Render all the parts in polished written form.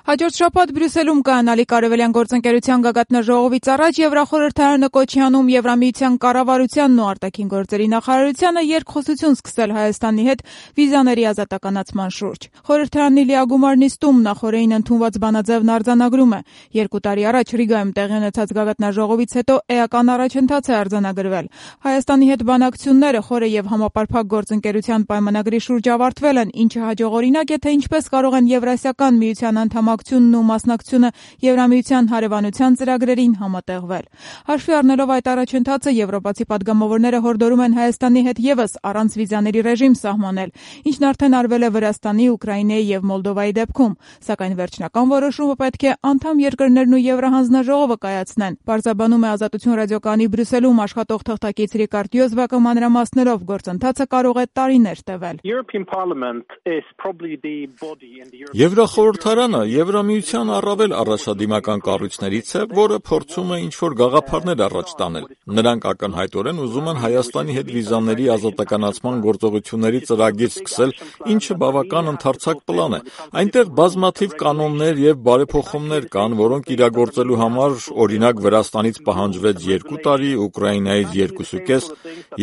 Հաջորդ շաբաթ Բրյուսելում կայանալիք Արևելյան գործընկերության գագաթնաժողովից առաջ Եվրախորհրդարանը կոչ է անում Եվրամիության կառավարությանն ու արտաքին գործերի նախարարությանը երկխոսություն սկսել Հայաստանի հետ վիզաների ազատականացման շուրջ։ Խորհրդարանի լիագումար նիստում նախօրեին ընդունված բանաձևն արձանագրում է. 2 տարի առաջ Ռիգայում տեղի ունեցած գագաթնաժողովից հետո էական առաջընթաց է արձանագրվել։ Հայաստանի հետ բանակցությունները խորը եւ համապարփակ գործընկերության պայմանագրի շուրջ ավարտվել են, ինչը հաջողօրինակ է, թե ինչպես կարող են Եվրասիական միության անդամակցությունն ու մասնակցությունը Եվրամիության հարևանության ծրագրերին համատեղվել։ Հաշվի առնելով այդ առաջընթացը, եվրոպացի պատգամավորները հորդորում են Հայաստանի հետ եւս առանց վիզաների ռեժիմ սահմանել, ինչն արդեն արվել է Վրաստանի, Ուկրաինայի եւ Մոլդովայի դեպքում, սակայն վերջնական որոշումը պետք է անդամ երկրներն ու Եվրահանձնաժողովը կայացնեն։ Պարզաբանում է Ազատություն ռադիոկայանի Բրյուսելում աշխատող թղթակից Ռիկարդ Յոզբակը մանրամասներով, գործընթացը կարող է տարիներ տևել։ Եվրախորհրդարանը Եվրամիության առավել առաջադիմական կառույցներից է, որը փորձում է ինչ-որ գաղափարներ առաջ տանել։ Նրանք ակնհայտորեն ուզում են Հայաստանի հետ վիզաների ազատականացման գործողությունների ծրագիր սկսել, ինչը բավական ընդարձակ պլան է։ Այնտեղ բազմաթիվ կանոններ եւ բարեփոխումներ կան, որոնք իրագործելու համար, օրինակ, Վրաստանից պահանջվեց 2 տարի, Ուկրաինայից 2.5,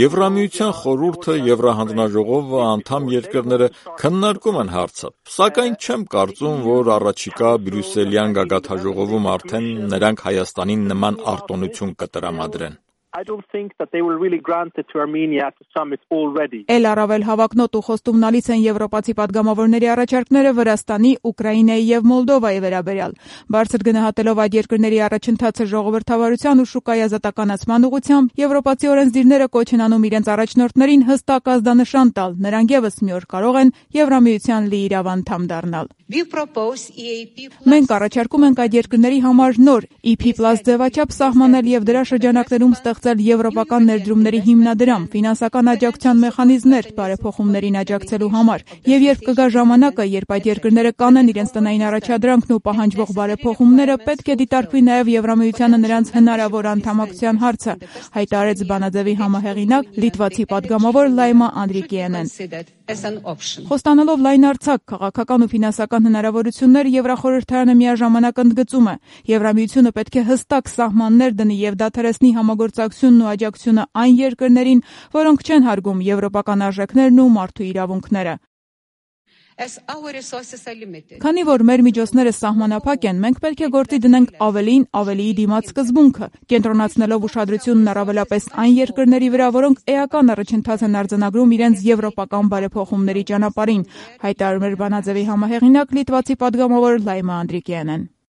Եվրամիության խորհուրդը, Եվրահանձնաժողովը, անդամ երկրները քննարկում են հարցը, սակայն չեմ կարծում, որ առաջիկա Բրյուսելյան գագաթնաժողովում արդեն նրանք Հայաստանին նման արտոնություն կտրամադրեն։ Էլ առավել հավակնոտ ու խոստումնալից են եվրոպացի պատգամավորների առաջարկները Վրաստանի, Ուկրաինայի եւ Մոլդովայի վերաբերյալ։ Բարձր գնահատելով այդ երկրների առաջընթացը ժողովրդավարության ու շուկայի ազատականացման ուղղությամբ, եվրոպացի օրենսդիրները կոչ են անում իրենց առաջնորդներին հստակ ազդանշան տալ, նրանք եւս մի օր կարող են Եվրամիության լիիրավ անդամ դառնալ։ Մենք առաջարկում ենք այդ երկրների համար նոր EP+ ձևաչափ սահմանել եւ դրա շրջանակներում ստեղծել եվրոպական ներդրումների հիմնադրամ, ֆինանսական աջակցության մեխանիզմներ բարեփոխումներին աջակցելու համար։ Եվ երբ կգա ժամանակը, երբ այդ երկրները կանեն իրենց տնային առաջադրանքն ու պահանջվող բարեփոխումները, պետք է դիտարկվի նաեւ Եվրամիությանը նրանց հնարավոր անդամակցության հարցը, հայտարարեց բանաձևի համահեղինակ լիտվացի պատգամավոր Լայմա Անդրիկիենեն։ Խոստանալով լայնարձակ քաղաքական ու ֆինանսական հնարավորություններ, Եվրախորհրդարանը միաժամանակ ընդգծում է. Եվրամիությունը պետք է հստակ սահմաններ դնի եւ դադարեցնի համագործակցությունն ու աջակցությունը այն երկրներին, որոնք չեն հարգում եվրոպական արժեքներն ու մարդու իրավունքները։ Քանի որ մեր միջոցները սահմանափակ են, մենք պետք է գործի դնենք ավելին, ավելիի դիմաց սկզբունքը, կենտրոնացնելով ուշադրությունն առավելապես այն երկրների վրա, որոնք էական առաջընթաց են արձանագրում իրենց եվրոպական բարեփոխումների ճանապարհին, հայտարարում էր բանաձևի համահեղինակ լիտվացի պատգամավոր Լայմա Անդրիկիենեն։